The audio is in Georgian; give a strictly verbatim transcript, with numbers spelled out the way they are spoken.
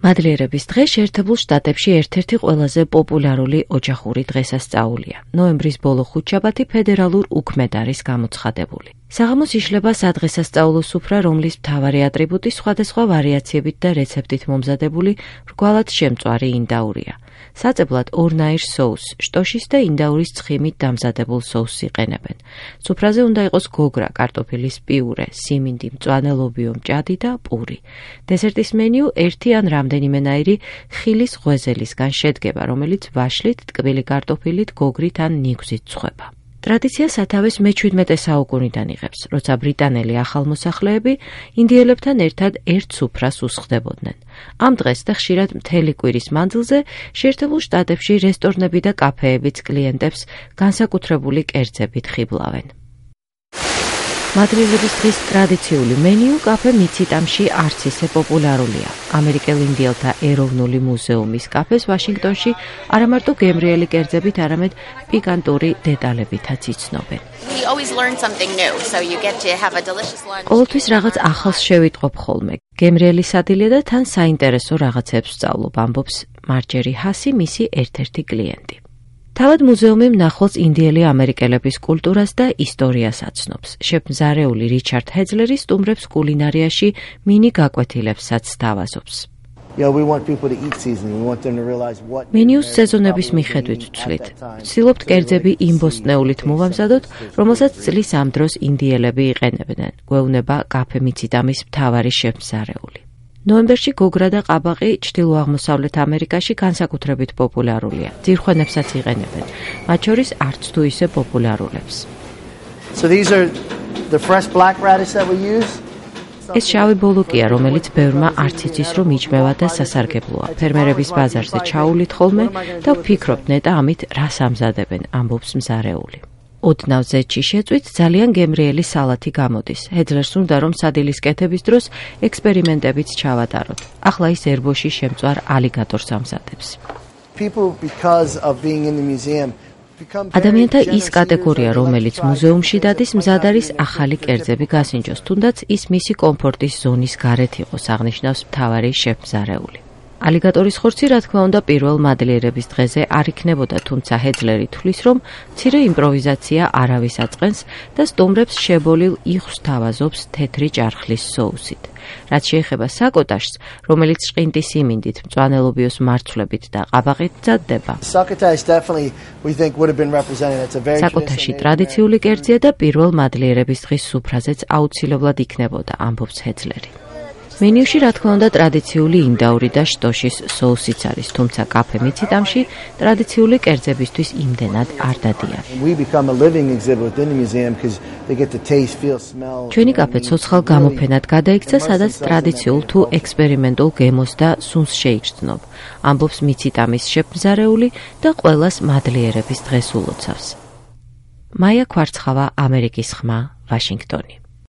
მადლიერების დღე შეერთებულ შტატებში ერთ-ერთი ყველაზე პოპულარული ოჯახური დღესასწაულია. ნოემბრის ბოლო ხუთშაბათი ფედერალურ უქმედ არის გამოცხადებული. საღამოს იშლება სადღესასწაულო სუფრა, რომლის მთავარი ატრიბუტი სხვადასხვა ვარიაციებით და რეცეპტით მომზადებული რგვალად შემწვარი ინდაურია. საწებლად ორნაირ соуს, შტოშის და ინდაურის ცხიმით დამზადებულ соуს იყენებენ. სუფრაზე უნდა იყოს გოგრა, კარტოფილის პიურე, სიმინდი, მწვანე ლობიო, მჭადი და პური. დესერტის მენიუ ერთი ან რამდენიმენაირი ხილის ღვეზელისგან შედგება, რომელიც ვაშლით, ტკბილი კარტოფილით, გოგრით ან ნიგვზით ცხება. ტრადიცია სათავეს მეჩვიდმეტე საუკუნიდან იღებს, როცა ბრიტანელი ახალმოსახლეები ინდიელებთან ერთად ერთ სუფრას უსხდებოდნენ. ამ დღეს და ხშირად მთელი კვირის მანძილზე შეერთებულ შტატებში რესტორნები და კაფეებიც კლიენტებს განსაკუთრებული კერძებით ხიბლავენ. მადლიერების დღის ტრადიციული მენიუ კაფე მიციტამში არც ისე პოპულარულია. ამერიკელ ინდიელთა ეროვნული მუზეუმის კაფეს ვაშინგტონში არა მარტო გემრიელი კერძებით, არამედ პიკანტური დეტალებითაც იცნობენ. ყოველთვის რაღაც ახალს შევიტყობ ხოლმე. გემრიელი სადილია და თან საინტერესო რაღაცებს ვსწავლობ, ამბობს მარჯერი ჰასი, მისი ერთ-ერთი კლიენტი. თავად მუზეუმი მნახველს ინდიელი ამერიკელების კულტურას და ისტორიას აცნობს. შეფმზარეული რიჩარდ ჰეძლერი სტუმრებს კულინარიაში მინი გაკვეთილებსაც სთავაზობს. მენიუს სეზონების მიხედვით ვცვლით. ვცდილობთ კერძები იმბოსტნეულით მოვამზადოთ, რომელსაც წლის ამ დროს ინდიელები იყენებდნენ. გვეუბნება კაფე მიციტამის მთავარი შეფმზარეული. ნოემბერში გოგრა და ყაბაყი ჩრდილო-აღმოსავლეთ ამერიკაში განსაკუთრებით პოპულარულია. ძირხვენებსაც იყენებენ, მათ შორის არც თუ ისე პოპულარულებს. ეს შავი ბოლოკია, რომელიც ბევრმა არც იცის, რომ იჭმევა და სასარგებლოა. ფერმერების ბაზარზე ჩაულით ხოლმე და ვფიქრობთ ნეტა ამით რას ამზადებენ, ამბობს მზარეული. ოდნავ ზეთში შეწვით ძალიან გემრიელი სალათი გამოდის. ჰედლერს უნდა რომ სადილის კეთების დროს ექსპერიმენტებიც ჩავატაროთ. ახლა ის ერბოში შემწვარ ალიგატორს ამზადებს. ადამიანთა ის კატეგორია, რომელიც მუზეუმში დადის, მზად არის ახალი კერძები გასინჯოს, თუნდაც ის მისი კომფორტის ზონის გარეთ იყოს, აღნიშნავს მთავარი შეფმზარეული. ალიგატორის ხორცი, რა თქმა უნდა, პირველ მადლიერების დღეზე არ იქნებოდა, თუმცა ჰეძლერი თვლის, რომ მცირე იმპროვიზაცია არავის აწყენს და სტუმრებს შებოლილ იხვს თავაზობს თეთრი ჭარხლის соусით. რაც შეეხება საკოტაშს, რომელიც შყინტის სიმინდით, მწვანე ლობიოს მარცვლებით და ყაბაყით მზადდება. საკოტაში ტრადიციული კერძია და პირველ მადლიერების დღის სუფრაზეც აუცილებლად იქნებოდა, ამბობს ჰეძლერი. მენიუში, რა თქმა უნდა, ტრადიციული ინდაური და შტოშის соусიც არის, თუმცა კაფე მიციტამში ტრადიციული კერძებისთვის იმდენად არ დადიან. ჩვენი კაფე ცოცხალ გამოფენად გადაიქცა, სადაც ტრადიციულ თუ ექსპერიმენტულ გემოს და სუნს შეიგრძნობ, ამბობს მიციტამის შეფმზარეული და ყველას მადლიერების დღეს ულოცავს. მაია ქვარცხავა, ამერიკის ხმა, ვაშინგტონი.